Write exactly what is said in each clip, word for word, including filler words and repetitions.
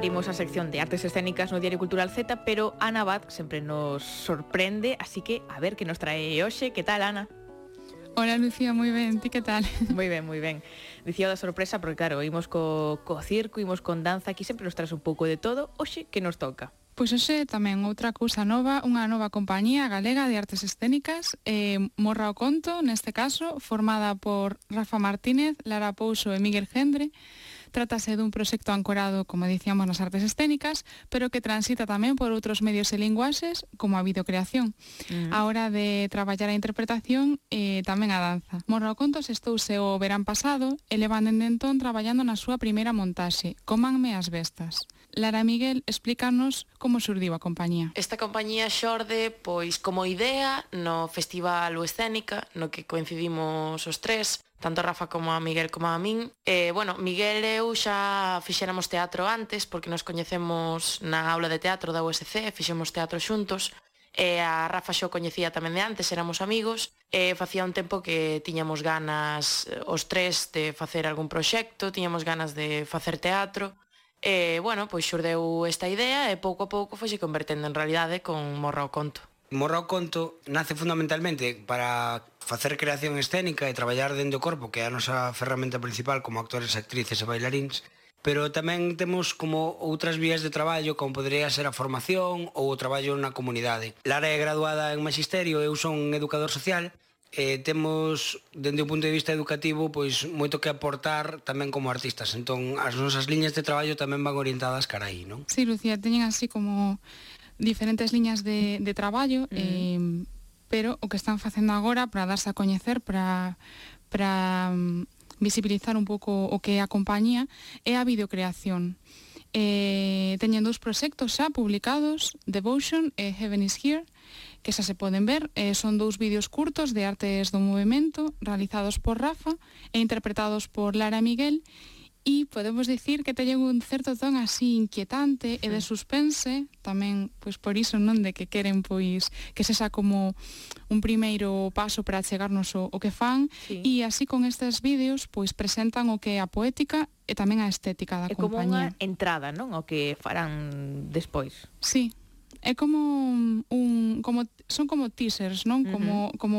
abrimos a sección de artes escénicas no Diario Cultural Z, pero Ana Abad sempre nos sorprende, así que a ver que nos trae hoxe. Que tal, Ana? Hola, Lucía, moi ben, ti que tal? Moi ben, moi ben. Dicía da sorpresa porque claro, imos co, co circo, imos con danza, aquí sempre nos traz un pouco de todo. Hoxe, que nos toca? Pois hoxe tamén outra cousa nova, unha nova compañía galega de artes escénicas, eh, Morra o Conto, neste caso, formada por Rafa Martínez, Lara Pouso e Miguel Gendre. Trátase dun proxecto ancorado, como dicíamos, nas artes escénicas, pero que transita tamén por outros medios e linguaxes, como a videocreación, uh-huh. a hora de traballar a interpretación e tamén a danza. Morra o Conto estouse o verán pasado e levan dende entón traballando na súa primeira montaxe, Cómanme as bestas. Lara Miguel, explícanos como xurdiu a compañía. Esta compañía xorde, pois, como idea no Festival O Escénica, no que coincidimos os tres, tanto Rafa como a Miguel como a min. E, bueno, Miguel e eu xa fixéramos teatro antes, porque nos coñecemos na aula de teatro da U S C, fixemos teatro xuntos, e a Rafa xo coñecía tamén de antes, éramos amigos, e facía un tempo que tiñamos ganas os tres de facer algún proxecto, tiñamos ganas de facer teatro, e, bueno, pois xurdeu esta idea e pouco a pouco foise convertendo en realidade con Morra o Conto. Morra o Conto nace fundamentalmente para facer creación escénica e traballar dentro do corpo, que é a nosa ferramenta principal como actores, actrices e bailaríns, pero tamén temos como outras vías de traballo, como podría ser a formación ou o traballo na comunidade. Lara é graduada en Magisterio, eu son educador social, e temos, dende o punto de vista educativo, pois moito que aportar tamén como artistas. Entón, as nosas liñas de traballo tamén van orientadas cara aí, non? Sí, Lucía, teñen así como diferentes liñas de, de traballo, mm. eh, pero o que están facendo agora para darse a coñecer, para, para um, visibilizar un pouco o que é a compañía, é a videocreación. Eh, teñen dous proxectos xa publicados, Devotion e Heaven is Here, que xa se poden ver, eh, son dous vídeos curtos de artes do movimento realizados por Rafa e interpretados por Lara Miguel, e podemos dicir que teñen un certo ton así inquietante e de suspense, tamén pois por iso, non, de que queren pois que sexa como un primeiro paso para chegarnos o, o que fan, sí. E así con estes vídeos pois presentan o que é a poética e tamén a estética da é compañía. É como unha entrada, non, o que farán despois. Sí. É como un como son como teasers, non? Como uh-huh. como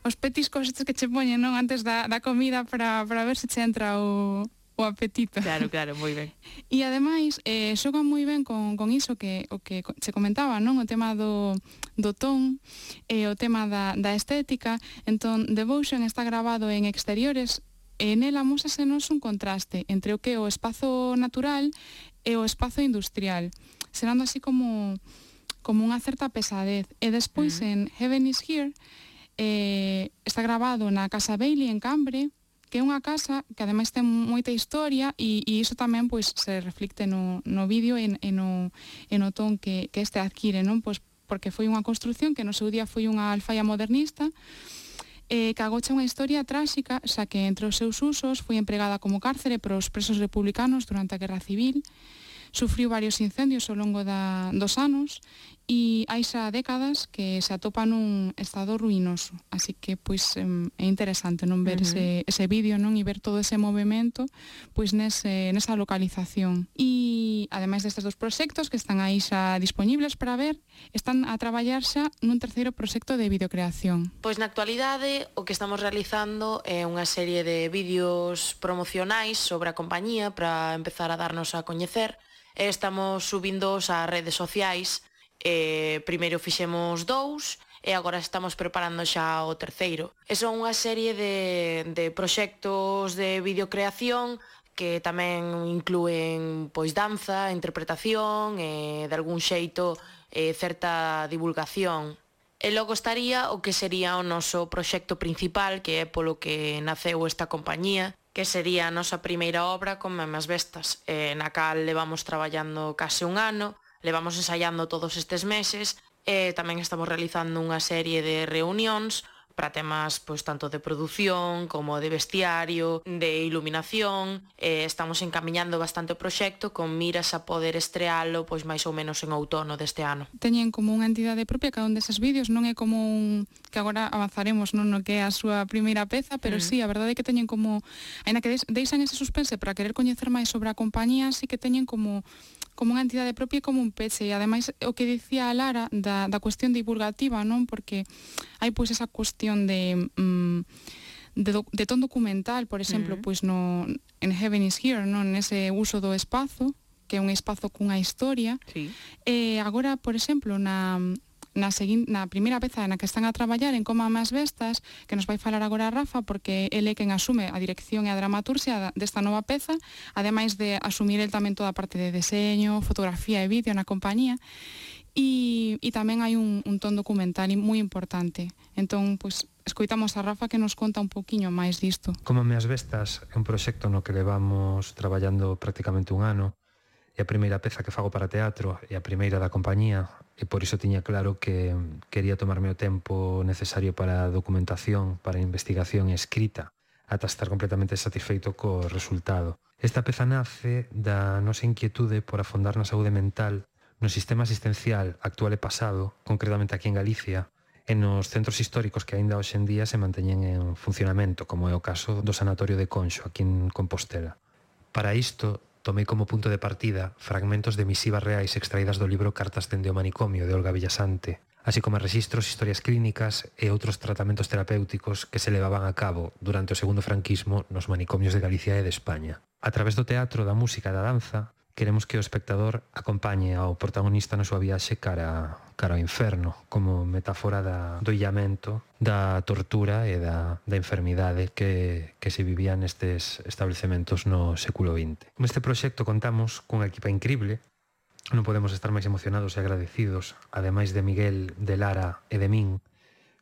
os petiscos estes que che poñen, non, antes da, da comida para, para ver se che entra o, o apetito. Claro, claro, moi ben. E ademais, eh, xogan moi ben con, con iso que o que che comentaba, non? O tema do, do ton e o tema da, da estética. Entón, Devotion está grabado en exteriores e nela mósasenos un contraste entre o que é o espazo natural e o espazo industrial, serando así como como unha certa pesadez. E despois mm. en Heaven is Here eh, está grabado na Casa Bailey en Cambre, que é unha casa que ademais ten moita historia e, e iso tamén pois se reflicte no, no vídeo e, e, no, e no ton que, que este adquire, non? Pois porque foi unha construción que no seu día foi unha alfaia modernista, eh, que agocha unha historia tráxica, xa que entre os seus usos foi empregada como cárcere para os presos republicanos durante a Guerra Civil, sufriu varios incendios ao longo da, dos anos e hai xa décadas que se atopa nun estado ruinoso. Así que pois é interesante non ver uh-huh. ese, ese vídeo, non, e ver todo ese movimento pois nese, nesa localización. E ademais destes dos proxectos que están aí xa disponibles para ver, están a traballar xa nun terceiro proxecto de videocreación. Pois na actualidade o que estamos realizando é unha serie de vídeos promocionais sobre a compañía para empezar a darnos a coñecer. Estamos subindos ás redes sociais, eh, primeiro fixemos dous e agora estamos preparando xa o terceiro. E son unha serie de, de proxectos de videocreación que tamén inclúen pois danza, interpretación e de algún xeito eh, certa divulgación. E logo estaría o que sería o noso proxecto principal, que é polo que naceu esta compañía, que sería a nosa primeira obra con Memas Bestas, eh, na cal levamos traballando case un ano, levamos ensaiando todos estes meses, e tamén estamos realizando unha serie de reunións para temas pois tanto de produción como de vestiario, de iluminación. Eh, estamos encamiñando bastante o proxecto con miras a poder estrealo pois máis ou menos en outono deste ano. Teñen como unha entidade propia cada un deses vídeos, non é como un que agora avanzaremos non no que é a súa primeira peza, pero mm. sí, a verdade é que teñen como, aínda que deixan ese suspense para querer coñecer máis sobre a compañía, sí que teñen como como unha entidade propia e como un peche, e ademais o que dicía a Lara da, da cuestión divulgativa, non? Porque hai pois esa cuestión de mm, de, do, de ton documental, por exemplo, mm. pois no en Heaven is Here, non? Nese uso do espazo, que é un espazo cunha historia. Sí. E agora, por exemplo, na na, seguin, na primeira peza na que están a traballar en Coma Más Vestas, que nos vai falar agora a Rafa, porque ele é quen asume a dirección e a dramaturxia desta nova peza, ademais de asumir el tamén toda a parte de deseño, fotografía e vídeo na compañía, e, e tamén hai un, un ton documental moi importante. Entón, pois, escoitamos a Rafa que nos conta un poquinho máis disto. Coma Más Vestas é un proxecto no que levamos traballando prácticamente un ano, e a primeira peza que fago para teatro e a primeira da compañía, e por iso tiña claro que quería tomarme o tempo necesario para a documentación, para a investigación e escrita, ata estar completamente satisfeito co resultado. Esta peza nace da nosa inquietude por afondar na saúde mental no sistema asistencial actual e pasado, concretamente aquí en Galicia, e nos centros históricos que aínda hoxe en día se manteñen en funcionamento, como é o caso do Sanatorio de Conxo, aquí en Compostela. Para isto, tomei como punto de partida fragmentos de misivas reais extraídas do libro Cartas dende o manicomio de Olga Villasante, así como registros, historias clínicas e outros tratamentos terapéuticos que se levaban a cabo durante o segundo franquismo nos manicomios de Galicia e de España. A través do teatro, da música e da danza, queremos que o espectador acompañe ao protagonista na súa viaxe cara, cara ao inferno, como metáfora da, do illamento, da tortura e da, da enfermidade que, que se vivía nestes establecementos no século vinte. Neste proxecto contamos cunha equipa increíble, non podemos estar máis emocionados e agradecidos, ademais de Miguel, de Lara e de min.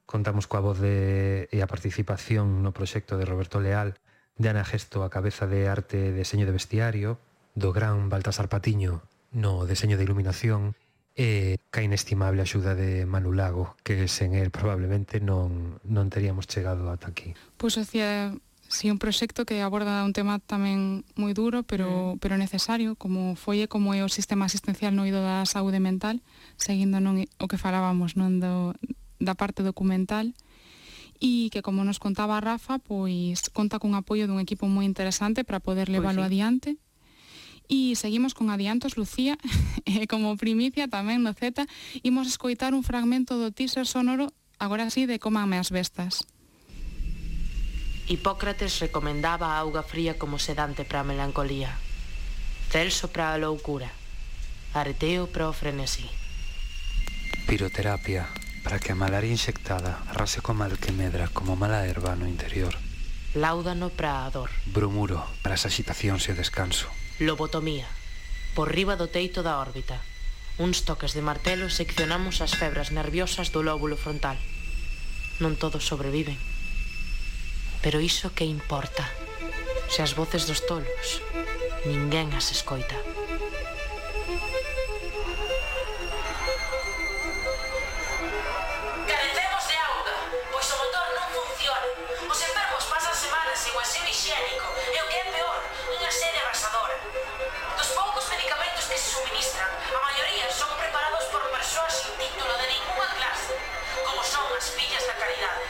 Contamos coa voz de, e a participación no proxecto de Roberto Leal, de Ana Gesto a cabeza de arte e deseño de vestiario, do gran Baltasar Patiño no deseño de iluminación e ca inestimable axuda de Manu Lago, que sen el probablemente non, non teríamos chegado ata aquí. Pois hacía sí, un proxecto que aborda un tema tamén moi duro, pero, mm. pero necesario, como foi e como é o sistema asistencial no eido da saúde mental, seguindo non o que falábamos non do, da parte documental, e que, como nos contaba Rafa, pois conta cun apoio dun equipo moi interesante para poder leválo pois sí. adiante. E seguimos con adiantos, Lucía, e como primicia tamén no Z, imos escoitar un fragmento do teaser sonoro, agora sí, de Cómanme as Vestas. Hipócrates recomendaba a auga fría como sedante para a melancolía, Celso para a loucura, Areteo para o frenesí. Piroterapia, para que a malaria inxectada arrase co mal que medra como mala erva no interior. Láudano para a dor. Bromuro, para as agitacións e o descanso. Lobotomía, por riba do teito da órbita. Uns toques de martelo seccionamos as febras nerviosas do lóbulo frontal. Non todos sobreviven. Pero iso que importa? Se as voces dos tolos, ninguén as escoita. Carecemos de auga, pois o motor non funciona. Os enfermos pasan semanas sen o aseo higiénico e o que é peor, unha sede arrasadora. Dos poucos medicamentos que se suministran, a maioría son preparados por persoas sin título de ninguna clase, como son as fillas da caridade.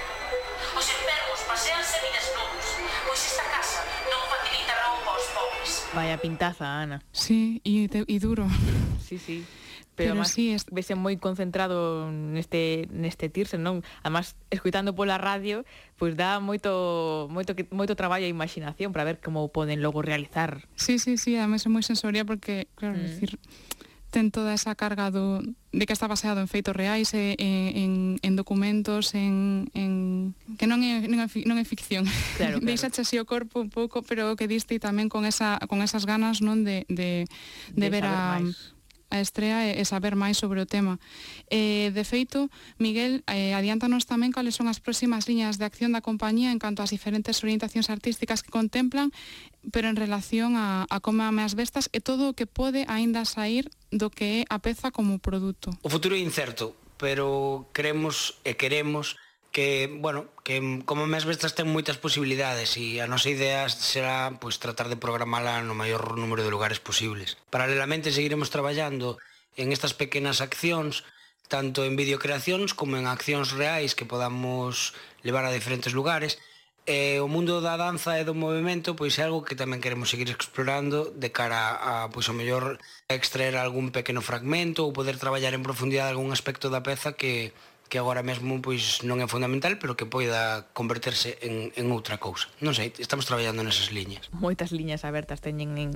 Os enfermos paseanse desnudos, pois esta casa non facilita roupa aos pobres. Vaya pintaza, Ana. Sí, e, e duro. Sí, sí. Pero, Pero además, sí, es... vese moi concentrado neste neste tirse, non? Además, escoitando pola radio, pois pues dá moito moito moito traballo e imaginación para ver como poden logo realizar. Sí, sí, sí, además é moi sensorial porque, claro, mm. decir, ten toda esa carga do, de que está baseado en feitos reais, e, en, en documentos, en, en que non é, non é, non é ficción. Claro, claro. Deixache así o corpo un pouco, pero que diste tamén con esa con esas ganas, non, de de, de, de ver a máis. a estrea e saber máis sobre o tema. Eh, de feito, Miguel, eh, adiántanos tamén cales son as próximas liñas de acción da compañía en canto ás diferentes orientacións artísticas que contemplan, pero en relación a, a Cómanme as Vestas e todo o que pode aínda sair do que é a peza como produto. O futuro é incerto, pero queremos e queremos que, bueno, que como mes bestas ten moitas posibilidades e a nosa idea será pois tratar de programala no maior número de lugares posibles. Paralelamente seguiremos traballando en estas pequenas accións, tanto en videocreacións como en accións reais que podamos levar a diferentes lugares. E o mundo da danza e do movimento pois é algo que tamén queremos seguir explorando de cara a, pois, ao mellor extraer algún pequeno fragmento ou poder traballar en profundidade algún aspecto da peza que que agora mesmo pois non é fundamental, pero que poida converterse en, en outra cousa. Non sei, estamos traballando nesas liñas. Moitas liñas abertas teñen en,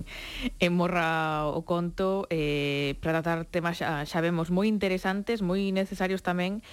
en Morra o Conto eh, para tratar temas xa, xa vemos moi interesantes, moi necesarios tamén.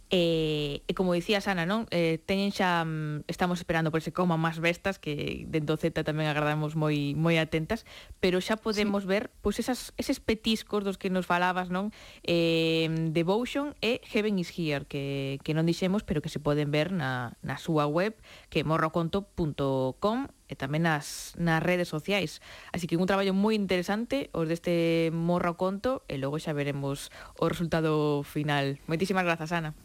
E, e como dicía Ana, non? Eh, teñen xa, estamos esperando por ese Coma Más Bestas, que dentro Z tamén agradamos moi moi atentas, pero xa podemos sí. ver pois esas, eses petiscos dos que nos falabas, non? Eh, Devotion e Heaven is Here, que, que non dixemos, pero que se poden ver na, na súa web, que é morroconto punto com, e tamén nas, nas redes sociais. Así que un traballo moi interesante os deste Morra o Conto, e logo xa veremos o resultado final. Moitísimas grazas, Ana.